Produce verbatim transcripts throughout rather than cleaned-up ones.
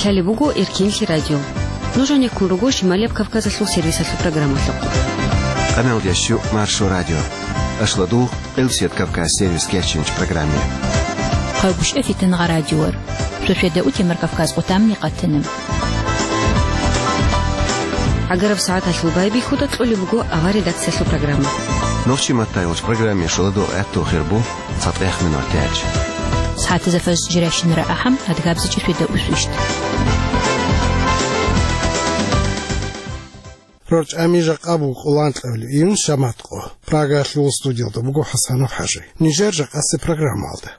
Лъалеб буго Эркенлъи радио. Нуж гьанеккун руго Шималияб Кавказалъул сервисалъул программалъухъ. Къаналдящу Маршо радио. Ашладугъ, Къилсият Кавказ сервис керчинч программе. Хъайгушев Фитангъа радиор. Шошеда утемар Кавказ къутамни къатана. Агараб сагӀаталъул байбихьуда кьолеб буго авар редакциялъул программа. Нохчи маттайолч программе шоладо гӀатту хирбу. ЦатӀех минутач. СагӀатазда фаз жирашинара ахӀам, адгабзичӀи шведа усвищ. РорчӀами жакъа буго къуланкьавли июн шаматкъо. Прагалъул студиялда буго ХӀасанов ХӀажи. Нижер жакъасе программалда.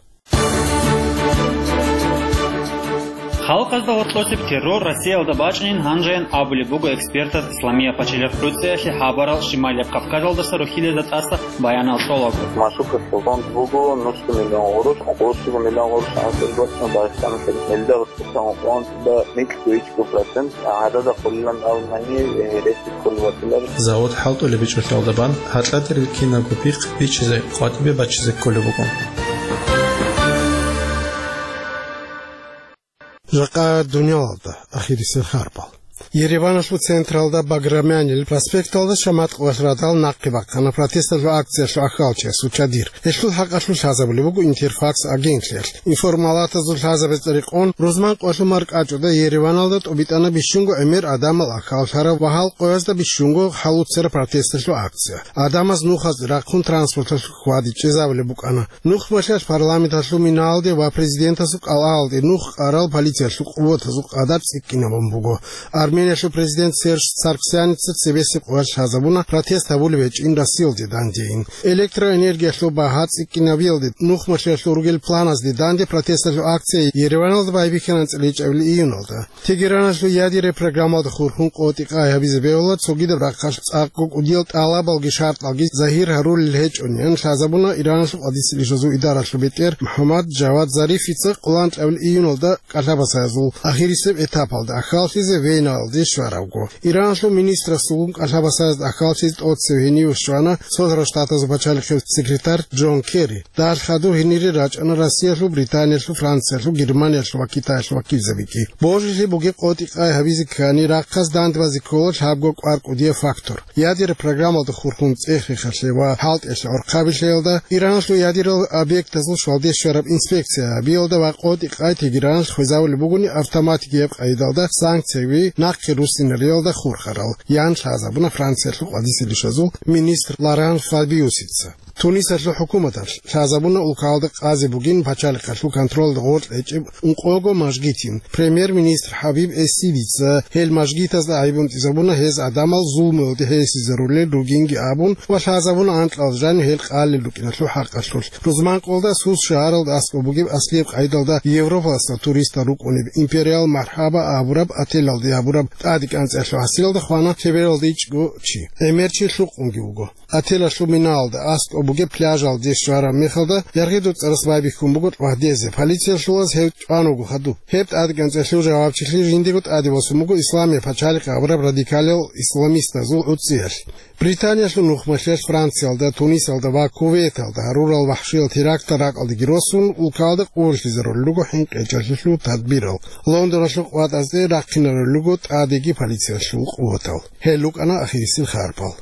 Халкъазда гъоркьосеб террор Россиялда бачӀинин гьанжаян абулеб буго экспертаз Исламия пачалихъ ГӀуцӀиялъе хабарал Шималияб Кавказалдаса рухьилазда тӀаса баянал цӀолаго. Машуков фонд буго нусго миллион гъурущ, гъурущго миллион гъурущ анцӀил гочна Дагъистаналъе мелда гъурущ фонд да микьго ичӀго процент гӀадада хъулилан абунани, э, ресик хъулватилар. Завод хӀалтӀулеб бичӀчӀулъалда бан гьаркьатӀи рилълъинаго пихъ бичизе, къватӀибе бачизе кколеб буго. Жакъа дуниялалда ахирисел харбал. Ереваналъул централда Баграмянил проспекталда шаматкъоялъ радал нахъе бахъана протесталъул акциялъул ахьалчиясул чадир. Гьелъул хӀакъалъулъ лъазабулеб буго Интерфакс агентлъиялъ. Информалатазул лъазабазда рекъон, рузман къоялъул маркӀачӀуда Ереваналда тӀубитӀана бищунго гӀемер гӀадамал ахьаллъараб ва гьал къоязда бищунго хӀалуцараб протесталъул акция. ГӀадамаз нухазде рахъун транспорталъухъ хьвади чӀезабулеб букӀана. Нухмалъиялъ парламенталъул минаалде ва президентасул кӀалалде нух къарал полициялъул къуватазул къадар цӀикӀкӀинабун буго. Армениялъул президент Серж Сарксяница цебесеб къоялъ лъазабуна протест гьабулеб гьечӀин Россиялде дандейин. Электроэнергиялъул багьа цӀикӀкӀинабиялде нухмалъиялъул ругел планазде данде протесталъул акция Ереваналда байбихьана анцӀила ичӀабилеб июналда. Тегераналъул ядерный программалда хурхун къотӀи-къай гьабизе бегьула, цогидаб рахъалъ цӀакъго кӀудиял тӀалабалги шартӀалги загьир гьарулел гьечӀони, ян лъазабуна Ираналъул къадисел ишазул идаралъул бетӀер МухӀаммад Жавад Зарифица къуланкьабил июналда кӀалъабасаязул ахирисеб этапалда ахьаллъизе Веналде щваравго. Ираналъул министрасулгун кӀалъабасаязда ахьаллъизе тӀоцев гьенив щвана Цолъарал Штатазул пачалихъе секретарь Джон Керри. Дагьал хадур гьенире рачӀана Россиялъул, Британиялъул, Франциялъул, Германиялъул ва Китаялъул вакилзабиги. Божилъи бугеб къотӀи-къай гьабизе ккани, рахъалъ дандбазе ккола лъабго кӀвар кӀудияб фактор. Ядерный программалда хурхун цӀех-рехалъе ва хӀалтӀиялъе гӀорхъабилъиялда, Ираналъул ядерал объектазул щвалде щвараб инспекция гьабиялда ва къотӀи-къай Тегераналъ хвезавулеб бугони автоматикияб къайдалда санкцияби нахъе руссинариялда хурхарал, ян лъазабуна Франциялъул къадисел ишазул министр Лоран Фабиусица. Тунисалъул хӀукуматалъ лъазабуна улкалда къазе бугин пачалихъалъул контролда гъоркь гьечӀеб ункъого мажгитин. Премьер-министр ХӀабиб Эссидица гьел мажгитазда гӀайиб унтӀизабуна гьез гӀадамал зулмуялде гьесизарулел ругинги абун ва лъазабуна анкьал жанив гьел къалел рукӀиналъул хӀакъалъулъ. Рузман къолда Сус шагьаралда аскӀоб бугеб аслияб къайдалда Европалъа туристал рукӀунеб Империал Мархаба абураб отелалде гьабураб тӀаде кӀанцӀиялъул гьасилалда хвана лъебералда ичӀго чи. ГӀемер чи лъукъунги вуго. Отелалъул минаалда аскӀоб бугеб пляжалде щвараб мехалда, яргъи дуцӀарас байбихьун буго гьадезе, полициялъулаз гьев чӀван вуго хадуб. Гьеб тӀадекӀанцӀелъул жавабчилъи жиндего тӀаде босун буго Исламия пачалихъ абураб радикалиял исламистазул гӀуцӀиялъ. Британиялъул нухмалъиялъ Франциялда, Тунисалда ва Кувейталда гьарурал вахшиял терактал ракӀалдеги росун, улкалда къуллъизарулел руго хӀинкъичӀалъулъул тадбирал. Лондоналъул къватӀазде рахъинарулел руго тӀадеги полициялъул къуватал. Гьел рукӀана ахирисел харпал.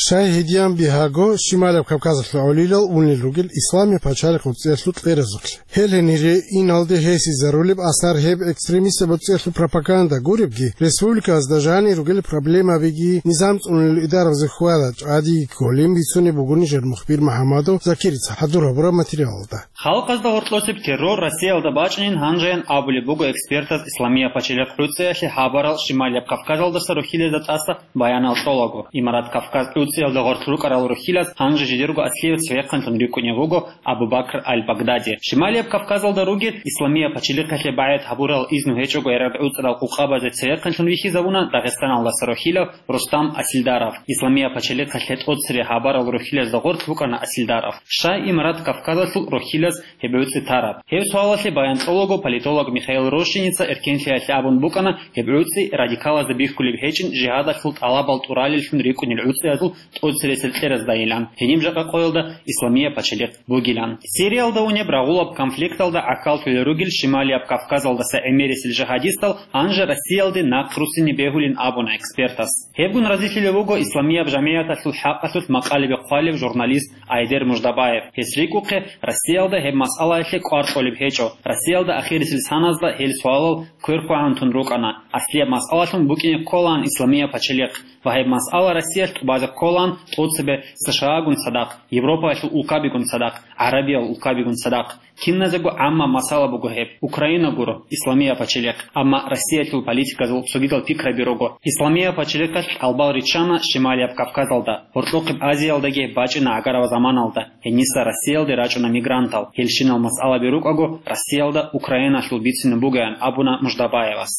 Шагьидиян бигьаго, Шималаб Кавказалъул гӀолилал унел ругел Исламия пачалихъ гӀуцӀиялъул кьеразулъ. Гьел гьенире иналде гьесизарулеб асар гьеб экстремистаб гӀуцӀиялъул пропаганда гуребги, республикаялда жанир ругел проблемабиги низам цӀунулел идаразе хьвада чӀвадиги кколин бицунеб буго нижер мухбир МухӀаммадов Закирица хӀадур гьабураб материалалда. Халкъазда гъоркьосеб террор Россиялда бачӀинин гьанжаян абулеб буго экспертаз Исламия пачалихъ гӀуцӀиялъе хабарал Шималияб Кавказалдаса рухьилазда тӀаса баянал цӀолаго. Имарат Кавказ гӀуцӀиялда гъоркь рукӀарал рухьилаз гьанже жидерго аслияб цевехъанлъун рикӀкӀунев вуго Абу Бакр аль-Багдади. Шималияб Кавказалда ругел Исламия пачалихъалъе багӀет гьабурал изну гьечӀого гӀераргӀуцӀарал къукъабазе цевехъанлъун вихьизабуна Дагъистаналдаса рухьилав Рустам Асилдаров. Исламия пачалихъалъе тӀоцере хабарал рухьилазда гъоркь букӀана Асилдаров. Щай Имарат Кавказалъул рухьилаз гьеб гӀуцӀи тараб? Гьеб суалалъе баян кьолаго политолог Михаил Рощиница эркенлъиялъе абун букӀана, гьеб гӀуцӀи радикалазда бихьулеб гьечӀин жигьадалъул тӀалабал тӀуралеллъун рикӀкӀунел гӀуцӀиязул тӀоцебесеб кьераздайилан, гьениб жакъа къоялда Исламияб пачалихъ бугилан. Сириялда унеб рагъулаб конфликталда гӀахьаллъулел ругел Шималияб Кавказалдаса гӀемерисел жигьадистал гьанже Россиялде нахъ руссине бегьулин абуна экспертас. Гьебгун разилъилев вуго Исламияб жамигӀаталъул хӀакъалъулъ макъалебе хъвалев журналист Айдер Муждабаев. Гьес рикӀухъе, Россиялда гьеб масъалаялъе кӀвар кьолеб гьечӀо. Россиялда ахирисел саназда гьел суалал кверхъвагӀан тун рукӀана. Аслияб масъалалъун букӀине кколаан Исламияб пачалихъ. Ва гьеб масъала Россиялъ тӀубазе кколаан тӀоцебе США-гун цадахъ, Европаялъул улкабигун цадахъ, гӀарабиял улкабигун цадахъ. Киназего гӀамма масъала буго гьеб. Украина гуро, Исламияб пачалихъ. Амма Россиялъул политиказул цогидал пикраби руго. Исламияб пачалихъалъ кӀалбал риччана Шималияб Кавказалда, гьоркьохъеб Азиялдаги бачӀина гӀагараб заманалда. Гьениса Россиялде рачӀуна мигрантал. Гьелщинал масъалаби рукӀаго, Россиялда Украиналъул бицине бугеян абуна Муждабаевас.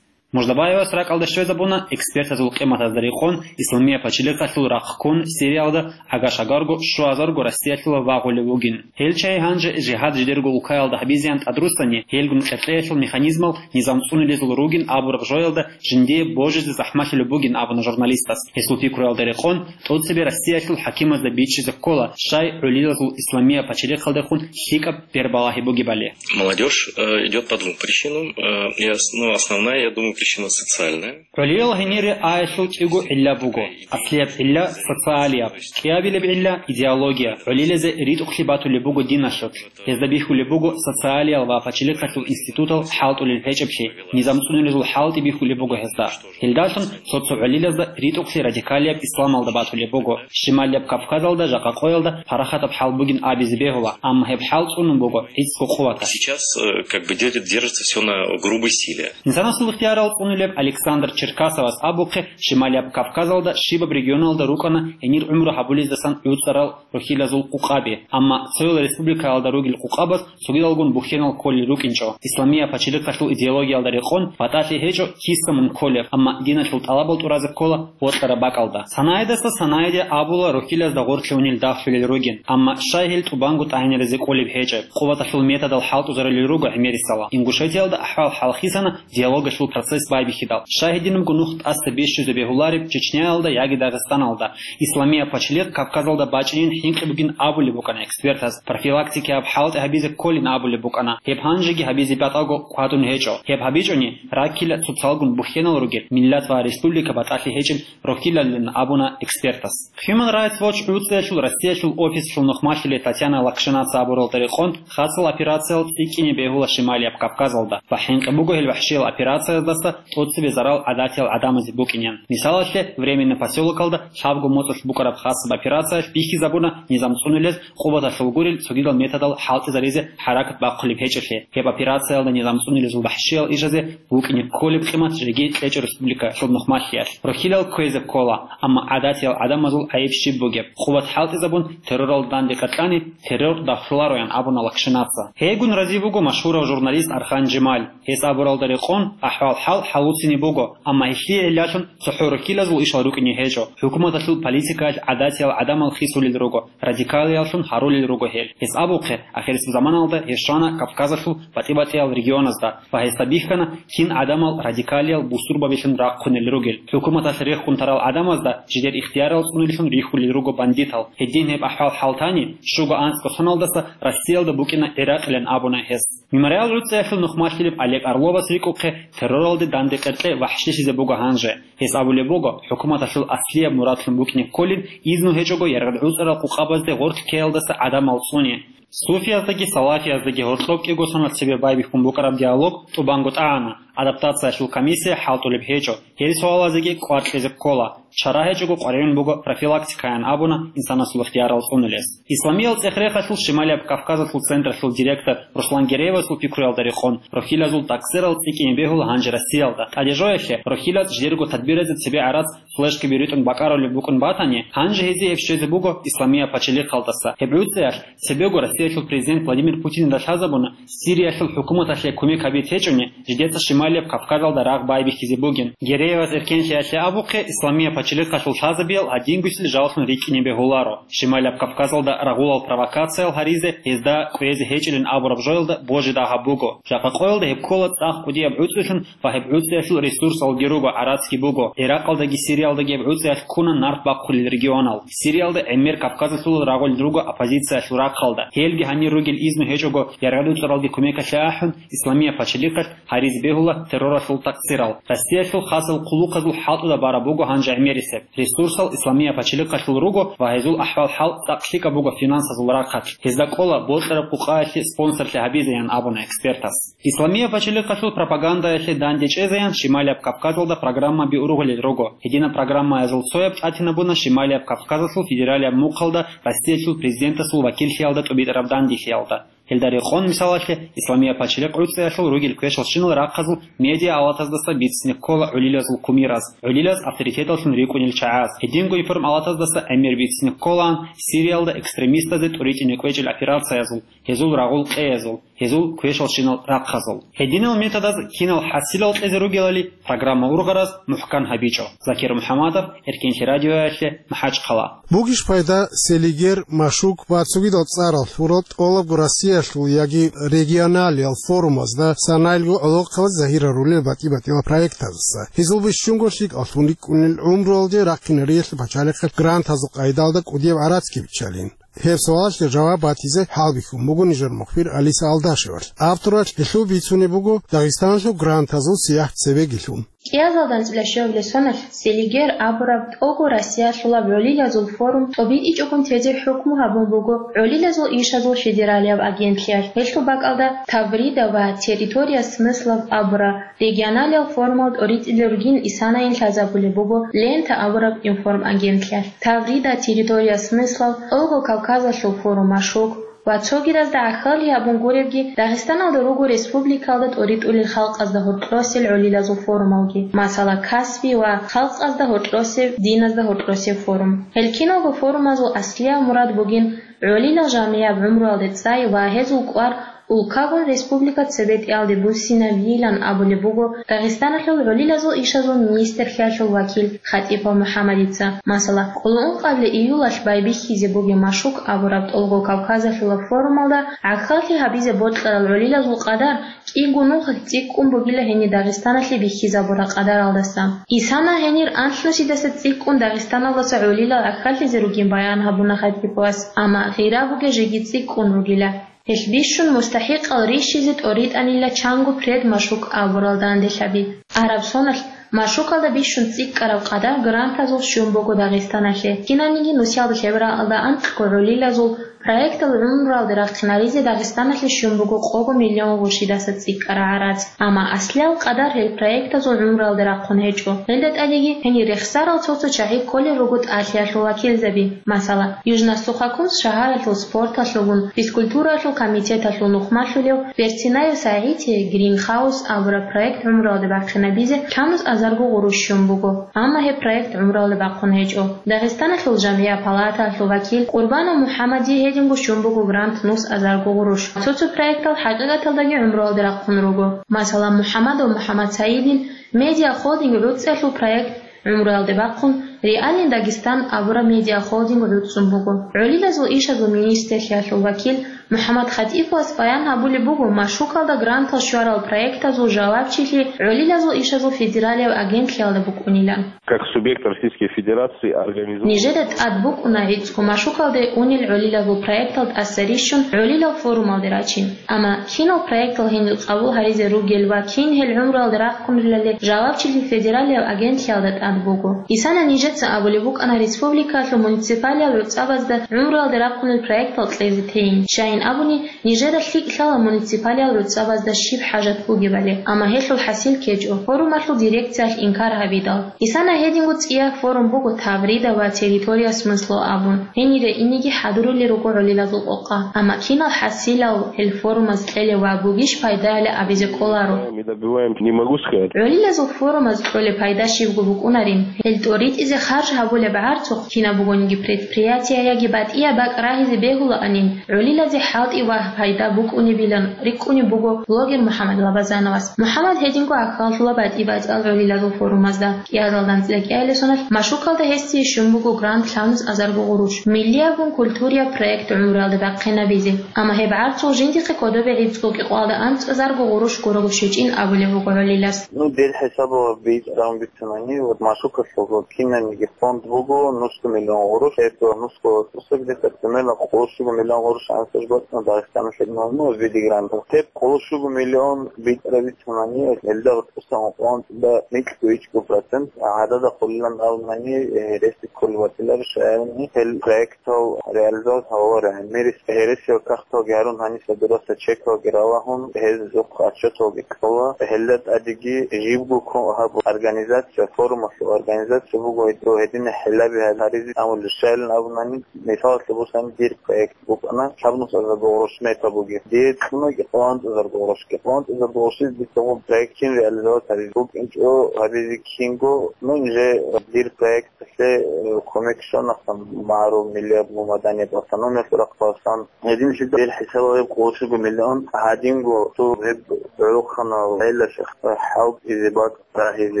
Муждабаевас ракӀалде щвезабуна экспертазул къиматазда рекъон Исламияб пачалихъалъул рахъ ккун Сириялда агашагарго щуазарго Россиялъула вагъулев вугин. Гьел чагӀи гьанже жигьад жидерго улкаялда гьабизеян тӀадруссани, гьелгун къеркьеялъул механизмал низам цӀунулезул ругин абураб жоялда жиндие божизе захӀмалъулеб бугин абуна журналистас. Гьесул пикруялда рекъон, тӀоцебе Россиялъул хӀакимазда биччизе ккола, щай гӀолилазул Исламияб пачалихъалдехун лъикӀаб бербалагьи бугебали. Молодежь э, идет по двум причинам. Э, и ос- ну, основная, я думаю, причина социальная. ГӀолилал гьенире аялъул кӀиго гӀилла буго. Аслияб гӀилла социалияб, кӀиабилеб гӀилла идеология. ГӀолилазе ритӀухълъи батулеб буго диналъулъ. Гьезда бихьулеб буго социалиял ва пачалихъалъул институтал хӀалтӀулел гьечӀеблъи, низам цӀунулезул хӀалтӀи бихьулеб буго гьезда. Гьелдалъун цо-цо гӀолилазда ритӀухълъи радикалияб исламалда батулеб буго. Шималияб Кавказалда жакъа къоялда парахатаб хӀал бугин абизе бегьула, амма гьеб хӀал цӀунун буго гӀицӀго къуваталъ. Сейчас э, как бы держит- держится все на грубой силе. Инсанасул ихтиярал цӀунулеб Александр Черкасовас абухъе, Шималияб Кавказалда щибаб регионалда рукӀана гьенир гӀумру гьабулездасан гӀуцӀарал рохьилазул къукъаби, амма цоял республикаялда ругел къукъабаз цогидалгун бухьенал кколел рукӀинчӀо. Исламияб пачалихъалъул идеологиялда рекъон батӀалъи гьечӀо киса мун кколеб, амма диналъул тӀалабал тӀуразе ккола бокьараб бакӀалда. Санаидаса Санаиде абула рохьилазда гъорлъе унел дагьлъулел ругин, амма щай гьел тӀубанго тӀагӀинаризе кӀолеб гьечӀеб, къуваталъул методал хӀалтӀузарулел руго гӀемерисела. Ингушетиялда ахӀвал хӀалхисана диалогалъул процесс байбихьидал. Щай гьединабго нух тӀаса бищузе бегьулареб Чечняялда яги Дагъистаналда? Исламияб пачалихъ Кавказалда бачӀинин хӀинкъи бугин абулеб букӀана экспертаз, профилактикияб хӀалтӀи гьабизе кколин абулеб букӀана. Гьеб гьанжеги гьабизе батӀаго хъвадун гьечӀо. Гьеб гьабичӀони, раккила цоцалгун бухьенал ругел миллат ва республика батӀалъи гьечӀел рохьилалилан абуна экспертас. Human Rights Watch гӀуцӀиялъул Россиялъул офислъул нухмалъуле Татьяна Лакшинаца абуралда рекъон, хасал операциял цӀикӀкӀине бегьула Шималияб Кавказалда ва хӀинкъи буго гьел вахӀшиял операцияздаса тӀоцебе зарал гӀадатиял гӀадамазе букӀинин. Мисалалъе, Временный посёлокалда лъабго моцӀалъ букӀараб хасаб операциялъ бихьизабуна низам цӀунулез къуваталъул гурел цогидал методал хӀалтӀизаризе хӀаракат бахъулеб гьечӀеблъи. Гьеб операциялда низам цӀунулезул вахӀшиял ижазе букӀине кколеб къимат жеги кьечӀо республикалъул нухмалъиялъ. Рохьилал кквезе ккола, амма гӀадатиял гӀадамазул гӀайиб щиб бугеб? Къуват хӀалтӀизабун террорал данде къеркьани, террор дагьлъулароян абуна Лакшинаца. Гьейгун рази буго машгьурав журналист Архан Жемаль. Гьес абуралда рекъон, ахӀвал-хӀал хӀалуцине буго, амма гьелъие гӀиллалъун цохӀо рохьилазул ишал рукӀине гьечӀо. ХӀукуматалъул политикаялъ гӀадатиял гӀадамал хисулел руго, радикалияллъун гьарулел руго гьел. Гьес абухъе, ахирисеб заманалда гьес щвана Кавказалъул батӀи-батӀиял регионазда ва гьесда бихьана, кин гӀадамал радикалиял бусурбабилъун рахъунел ругел. ХӀукуматалъ рехун тарал гӀадамазда жидер ихтиярал цӀунилъун рихьулел руго бандитал. Гьедин гьеб ахӀвал-хӀал тани, щуго анцӀго соналдаса Россиялда букӀина ГӀиракъилан абуна гьес. Мемориал гӀуцӀиялъул нухмалъилеб Олег Орловас рикӀухъе, терроралде данде къеркье вахӀшилъизе буго гьанже. Гьес абулеб буго, хӀукуматалъул аслияб мурадлъун букӀине кколин, изну гьечӀого яргъад гӀуцӀарал къукъабазде гъорлъ ккеялдаса гӀадамал цӀуне. Суфияздаги салафияздаги гьоркьоб кӀиго сонал цебе байбихьун букӀараб диалог тӀубанго тӀагӀана, адаптациялъул комиссия хӀалтӀулеб гьечӀо, гьел суалазеги кӀвар кьезе ккола. Чара гьечӀого къваригӀун буго профилактикаян абуна инсанасул ихтиярал цӀунулес. Исламиял цӀех-рехалъул Шималияб Кавказалъул централъул директор Руслан Гереевасул пикруялда рекъон, рохьилазул таксирал цӀикӀкӀине бегьула гьанже Россиялда. ТӀадежоялъе рохьилаз жидерго тадбиразе цебе гӀарац флешкаби ритӀун бакӀарулеб букӀун батани, гьанже гьезие гьеб щвезе буго Исламияб пачалихъалдаса. Гьеб гӀуцӀиялъ цебего Россиялъул президент Владимир Путинда лъазабуна, Сириялъул хӀукуматалъе кумек гьабизе течӀони, жидеца Шималияб Кавказалда рагъ байбихьизе бугин. Гереевас эркенлъиялъе абухъе, Исламияб пачалихъалъул лъазабиял гьадингусел жаллъун рикӀкӀине бегьуларо. Шималияб Кавказалда рагъулал провокациял гьаризе, гьезда кӀвезе гьечӀилин абураб жоялда божи дагьаб буго. Жакъа къоялда гьеб ккола цӀакъ кӀудияб гӀуцӀилъун ва гьеб гӀуцӀиялъул ресурсалги руго, гӀарацги буго. Иракъалдаги Сириялдаги гьеб гӀуцӀиялъ ккуна нарт бахъулел регионал. Сириялда гӀемер Кавказалъул рагъулел руго оппозициялъул рахъалда. Гьелги гьанир ругел изну гьечӀого, яргъи-дуцӀаралги кумекалъе ахӀун, Исламияб пачалихъалъ гьаризе бегьула терроралъул такъсирал. Россиялъул хасал хъулухъазул хӀалтӀуда бараб буго гьанже гӀемерисеб. Ресурсал Исламияб пачалихъалъул руго ва гьезул ахӀвал-хӀал цӀакъ лъикӀаб буго финансазул рахъалъ. Гьезда кӀола бокьараб къукъаялъе спонсорлъи гьабизе, ян абуна экспертас. Исламияб пачалихъалъул пропагандаялъе данде чӀезеян Шималияб Кавказалда программаби ургъулел руго. Гьединаб программаязул цояб тӀатинабуна Шималияб Кавказалъул федералияб мухъалда Россиялъул президентасул вакиллъиялда тӀубитӀараб данделъиялда. Гьелда рекъон, мисалалъе, Исламияб пачалихъ гӀуцӀиялъул ругел квешал щинал рахъазул медиа-алатаздаса бицине ккола гӀолилазул кумираз, гӀолилаз авторитеталлъун рикӀкӀунел чагӀаз. Гьединго информалатаздаса гӀемер бицине кколаан Сириялда экстремистазе тӀуритӀине кӀвечӀел операциязул, гьезул рагъул къеязул, гьезул квешал щинал рахъазул. Гьединал методаз кинал хӀасилал кьезе ругелали программа ургъараз мухӀкан гьабичӀо. Закир МухӀаммадов, Эркенлъи радиоялъе, МахӀачхъала. Бугищ пайда Селигер, Машук ва цогидал цӀарал лъурал тӀолабго Россиялъул яги регионалиял форумазда, санаялго гӀолохъабаз загьир гьарулел батӀи-батӀиял проектаздаса? Гьезул бищунго лъикӀаллъун рикӀкӀунел гӀумруялде рахъинариялъе пачалихъе грантазул къайдалда кӀудияб гӀарацги биччалин. Гьеб суалалъе жаваб батизе хӀалбихьун буго нижер мухбир Алиса Алдашевалъ. Авторалъ гьелъул бицунеб буго Дагъистаналъул грантазул сияхӀ цебегилъун. КӀиазалда анцӀила щуабилеб соналъ Селигер абураб тӀолго Россиялъулаб гӀолилазул форум тӀобитӀичӀогун тезе хӀукму гьабун буго гӀолилазул ишазул федералияб агентлъиялъ. Гьелъул бакӀалда Таврида ва Территория смыслов абураб регионалиял форумал тӀоритӀизе ругин исанаин лъазабулеб буго Лента абураб информагентлъиялъ. Таврида, Территория смыслов, тӀолго Кавказалъул форум Машук ва цогидазда гӀахьаллъи гьабун гуребги, Дагъистаналда руго республикалда тӀоритӀулел халкъазда гьоркьосел гӀолилазул форумалги, масала, Касби ва халкъазда гьоркьосеб, диназда гьоркьосеб форум. Гьел киналго форумазул аслияв мурад бугин гӀолилал жамигӀаб гӀумруялде цӀай ва гьезул кӀвар улкагун республика цебетӀиялде буссинабийилан абулеб буго Дагъистаналъул гӀолилазул ишазул министрлъиялъул вакил Хатипов МухӀаммадица. Масала, къоло ункъабилеб июлалъ байбихьизе бугеб Машук абураб тӀолго Кавказалъулаб форумалда гӀахьаллъи гьабизе бокьарал гӀолилазул къадар кӀиго нухалъ цӀикӀкӀун бугила гьенир Дагъистаналъе бихьизабураб къадаралдаса. Исана гьенир анлънусидаса цӀикӀкӀун Дагъистаналдаса гӀолилал гӀахьаллъизе ругин баян гьабуна Хатиповас, амма гъира бугеб жеги цӀикӀкӀун ругила. Гьелъ бищун мустахӀикъал рищизе тӀоритӀанила чанго пред Машук абурал данделъаби. Араб соналъ Машукалда бищун цӀикӀкӀараб къадар грантазул щун буго Дагъистаналъе. Кинаниги нусиялда лъеб рагӀалда анкьго гӀолилазул проектал гӀумруялде рахъинаризе Дагъистаналъе щун буго къого миллион гъурщидаса цӀикӀкӀараб гӀарац. Амма аслиял къадар гьел проектазул гӀумруялде рахъун гьечӀо. Гьелда тӀадеги гьенир рехсарал цо-цо чагӀи кколел руго тӀалъиялъул вакилзаби. Масала, Южно-Сухокумск шагьаралъул спорталъулгун физкультуралъул комитеталъул нухмалъулев Берсинаев СагӀите Гринхаус абураб проект гӀумруялде бахъинабизе лъабнус азарго гъурущ щун буго, амма гьеб проект гӀумруялде бахъун гьечӀо. Дагъистаналъул жамгӀият палатаялъул вакил Къурбанов МухӀаммадие гьединго щун буго грант нус азарго гъурущ. Цо-цо проектал хӀакъикъаталдаги гӀумруялде рахъун руго. Масала, МухӀаммадов МухӀаммадсаидил медиахолдинг гӀуцӀиялъул проект гӀумруялде бахъун, «Реальный Дагестан» абураб медиахолдинг гӀуцӀун буго. ГӀолилазул ишазул министрлъиялъул вакил МухӀаммад Хатиповас баян гьабулеб буго Машукалда грантал щварал проектазул жавабчилъи гӀолилазул ишазул федералияб агентлъиялда букӀунилан. Как субъект Российской Федерации организован. Нижеда тӀад букӀуна гӀицӀго Машукалде унел гӀолилазул проектал тӀаса рищун гӀолилал форумалде рачин. Амма кинал проектал гьенил къабул гьаризе ругел ва кин гьел гӀумруялде рахъунелали жавабчилъи федералияб агентлъиялда тӀад буго. Исана нижеца абулеб букӀана республикаялъул муниципалиял гӀуцӀабазда гӀумруялде рахъунел проектал кьезе тейин. Щайин абуни, нижеда лъикӀ лъала муниципалиял гӀуцӀабазда щиб хӀажат бугебали, амма гьелъул хӀасил ккечӀо, форумалъул дирекциялъ инкар гьабидал. Исана гьединго цӀияб форум буго Таврида ва Территория смыслов абун. Гьенире инеги хӀадурулел руго гӀолилазул къокъа. Амма кинал хӀасилал гьел форумаз кьелев ва бугищ пайдаяли абизе кӀоларо. Мы добиваем, не могу сказать. ГӀолилазул форумаз кьолеб пайда щибго букӀунарин. Гьел тӀоритӀизе харж гьабулеб гӀарцухъ кинаб бугониги предприятие яги батӀияб бакӀ рагьизе бегьулаанин, гӀолилазе хӀалтӀи ва пайда букӀунебилан рикӀкӀунеб буго блогер МухӀаммад Лабазановас. МухӀаммад гьединго гӀахьаллъула батӀи-батӀиял гӀолилазул форумазда. КӀиазалда анцӀила кӀиабилеб соналъ машукалда гьесие щун буго грант лъабнуз азарго гъурущ, миллияб культуриял проект гӀумруялда бахъинабизе. Амма гьеб гӀарцул жиндихъе кодобе гӀицӀго кӀикъоялда анцӀазарго гъурущ гурого щвечӀин абулеб буго гӀолилас. Ну, дир хӀисабалда бицунани, вот машукалъулго кинабниги фонд буго нусго миллион гъурущ, это нусго тӀуса где-то примерно къоло щуго миллион гъурущ анцӀаб батӀана Дагъистаналъе, ну, виде грантов. Гьеб къоло щуго миллион бицунани, гьелда тӀусан къван да микьго ичӀго процент гӀадада хъулилан абунани, э, рес кколеб батиларо шагьарни гьел проектал реализовать гьаварай. Мирис гьересияб кагъталги гьарун, гьаниса дураса чекалги ралагьун, гьезухъ отчеталги кьола. Гьелда тӀадеги жибго ккун гьаб организация, форумалъул организация буго, гьедин гьелаби гьаризе амулищайилан абунани, мисалалъе босани, дир проект букӀана лъабнуз азарго гъурущ мета бугеб. Дие кьуна кӀикъоялда анцӀазарго гъурущ. КӀикъоялда анцӀазарго гъурущ дир цо проект кин реализовать гьаризе букӀинчӀо гьабизе кинго, ну, инже дир проект Гьелъе, э, кумек щвана МагӀарул миллияб гумаданияб автономиялъул рахъалъан. Гьединлъидал гьел хӀисабалеб къоло щуго миллион гьадинго цо гьеб гӀолохъанал гӀелалъе хӀалтӀизе бакӀ рагьизе,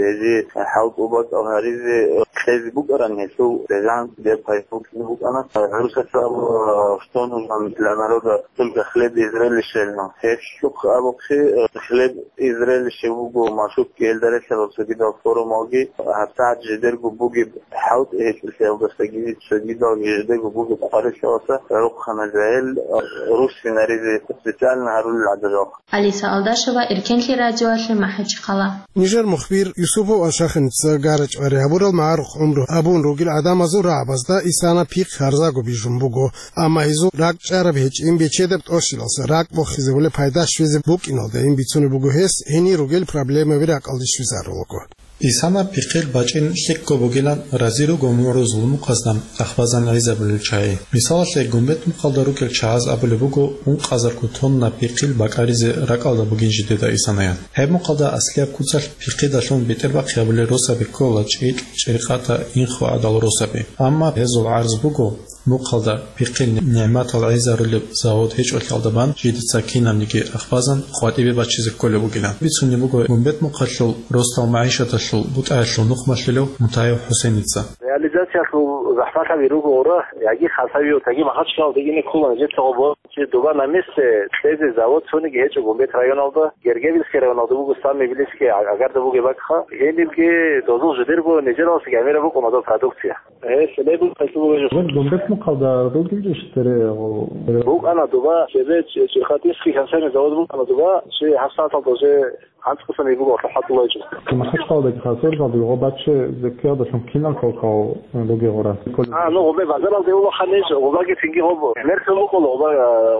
гьезие хӀалтӀу бакӀал гьаризе кьезе букӀаран гьелъул регъан беб гьайбукӀине букӀана. ГӀурусаца абула, что нужно для народа только хлеб и зрелище, но гьелъухъ абухъе, э, хлеб и зрелище буго машукги, гьелда релълъарал цогидал форумалги, гьабсагӀат жидерго бугеб хӀалтӀи гьечӀелъиялдасаги, цогидалги жидерго бугеб къварилъиялдаса гӀолохъана жагьил, э, рус гьаризе специально гьарулел гӀадажал. Алиса Алдашева, Эркенлъи радиоялъе, МахӀачхъала. Нижер мухбир Юсупов Ашахиница гарачӀвари гьабурал магӀарухъ гӀумру гьабун ругел гӀадамазул рагӀабазда исана пихъ гьарзаго бижун буго. Амма гьезул ракӀчӀараб гьечӀин бечедаб тӀощилалса ракӀ бохизабулеб пайда щвезе букӀиналдайин бицунеб буго гьес, гьенир ругел проблемаби ракӀалде щвезарулаго. Исана пихъил бачӀин лъикӀго бугилан рази руго мугӀрузул мукъазда ахбазан гӀезабулел чагӀи. Мисалалъе, Гумбет мухъалда ругел чагӀаз абулеб буго ункъазарго тонна пихъил бакӀаризе ракӀалда бугин жидеда исанаян. Гьеб мухъалда аслияб куцалъ пихъидалъун бетӀербахъи гьабулел росаби ккола чӀикӀ, чӀиркъата, инхо гӀадал росаби. Амма гьезул гӀарз буго, мухъалда пихъил нигӀматал гӀезарулеб завод гьечӀолъиялда бан жидеца кинабниги ахбазан къватӀибе бачизе кколеб бугилан. Бицунеб буго Гумбет мухъалъул росдал магӀишаталъул бутӀаялъул нухмалъулев Мутаев ХӀусеница. Реализациялъул захӀмалъаби руго гъура, яги Хасавиутаги Махачкалалдагине ккола нижеца гъобо. Чи дуба на месте кьезе завод цониги гьечӀо Гумбет районалда, Гергевильский районалда буго самый близкий, а-, агарда бугеб бакӀха. Гьенибги дозул жидерго нижералъ гӀемераб букӀун гьадаб продукция. Гьес лебун кайсулугӀиже. Гумбет мухъалда ругел иш тере гъо-, БукӀана дуба, чебе ч-, чирхатинский консервный завод букӀана дуба, чи гьабсагӀаталда уже анцӀкъасан буго хӀатӀулайчӀо. Махачкалдаги хасурзалда гъо баччи зеккиялдалъун кинал хӀалхал ругел гъура? А, ну, гъобе базаралде улахъанищ, гъобаги цинги гъоб мерсел букӀула, гъоба,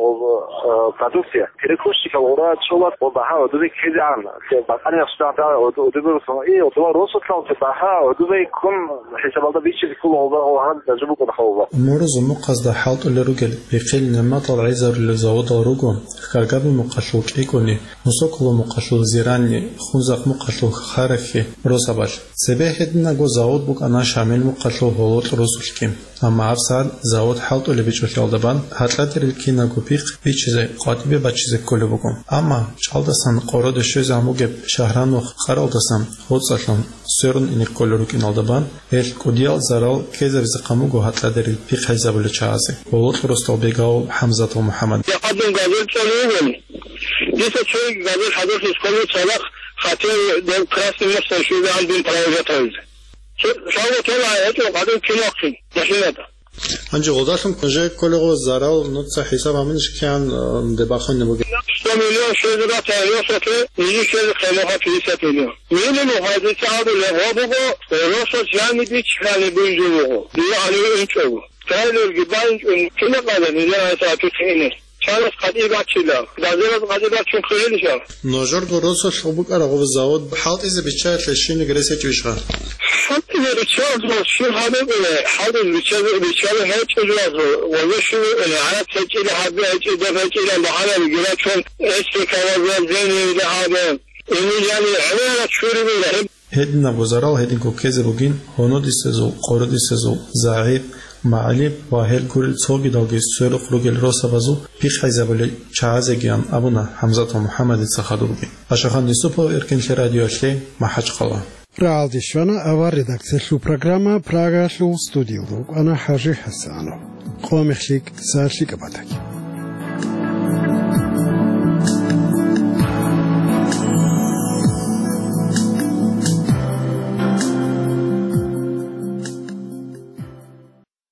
гъоб, э, продукция. Перекройщикал гъура чӀола, гъоб багьа гьудуби ккезегӀан. Се бакъани ахсда гьудуби русон. И, гъоба росулъал се багьа гьудуби ккун хӀисабалда биччизе ккола гъоба, гъо гьанже букӀун хавба. Мурузу мухъазда хӀалтӀулел ругел пихъил нигӀматал гӀезарулел заводал руго, Хкаргаби мухъалъул КӀикӀуни, Мусоколо мухъалъул Зиранни, Хунзахъ мухъалъул Харахьи росабалъ. Цебе гьединаго завод букӀана Шамил мухъалъул ГьолотӀ росулъги. Амма гьабсагӀат завод хӀалтӀулеб бичӀчӀулъиялда бан гьаркьадарил кинабго пихъ бичизе, къватӀибе бачизе кколеб буго. Амма чӀалдасан къороде щвезегӀан бугеб Шагьранухъ къаралдасан гъоцӀалъун сверун ине кколел рукӀиналда бан, гьелъ кӀудиял зарал ккезабизе хъан буго гьаркьадарил пихъ гьайзабулел чагӀазе, ГьолотӀ росдал Бегавул ХӀамзатов МухӀаммад. Я гьадин газет цӀалугун. Дица цоги газет хӀадурлъи кколев цадахъ, хотел дов Красный мост щвезегӀан дун провожатайзе. Цо-, цо-, цо-, гьечӀо гьадин кинахъин машинада. Гьанже гъодалъун ккун жеги кколего зарал нуца хӀисаб гьабунищ кигӀан, э, дебахъунеб бугеб? Сто миллион щвезе батани росулъе, нижер щвезе ккелаха пятьдесят миллион. Минимум гьадин цӀалулеб гъо буго, э, росулъ жаниб биччани бунжи буго. Дие гьаниве инчӀого. Трейлерги байинчӀун кина къала нижер гьайса атухъе ине. Чанас къадиб бачила, базараз къадиб бачун хъилилищал. Нужерго росулъ букӀараб гъоб завод хӀалтӀизе биччаялъе щибниги рес гьечӀищха? ХӀалтӀизе биччаялъул щиб гьабикъуна, хӀалтӀизе биччазе, биччазе гьечӀо жугьазул, ва щиб гӀараб гьечӀила, гьабе гьечӀила, доб гьечӀила, багьанаби гирачун, эсте кавазал зенида гьабе. Ини яни гӀемерал чури була. Гьединабго зарал гьединго ккезе бугин гьунудисезул, къорудисезул, загӀип, МагӀилиб ва гьел гурел цогидалги сверухъ ругел росабазул пихъ гӀезабулел чагӀазегиян абуна ХӀамзатов МухӀаммадица хадубги. Ашахан Юсупов, Эркенлъи радиоялъе, МахӀачхъала. РагӀалде щвана авар редакциялъул программа, Прагаялъул студиялда вукӀана ХӀажи ХӀасанов. Къо мехлъи кӀиса лъикӀаб батаги.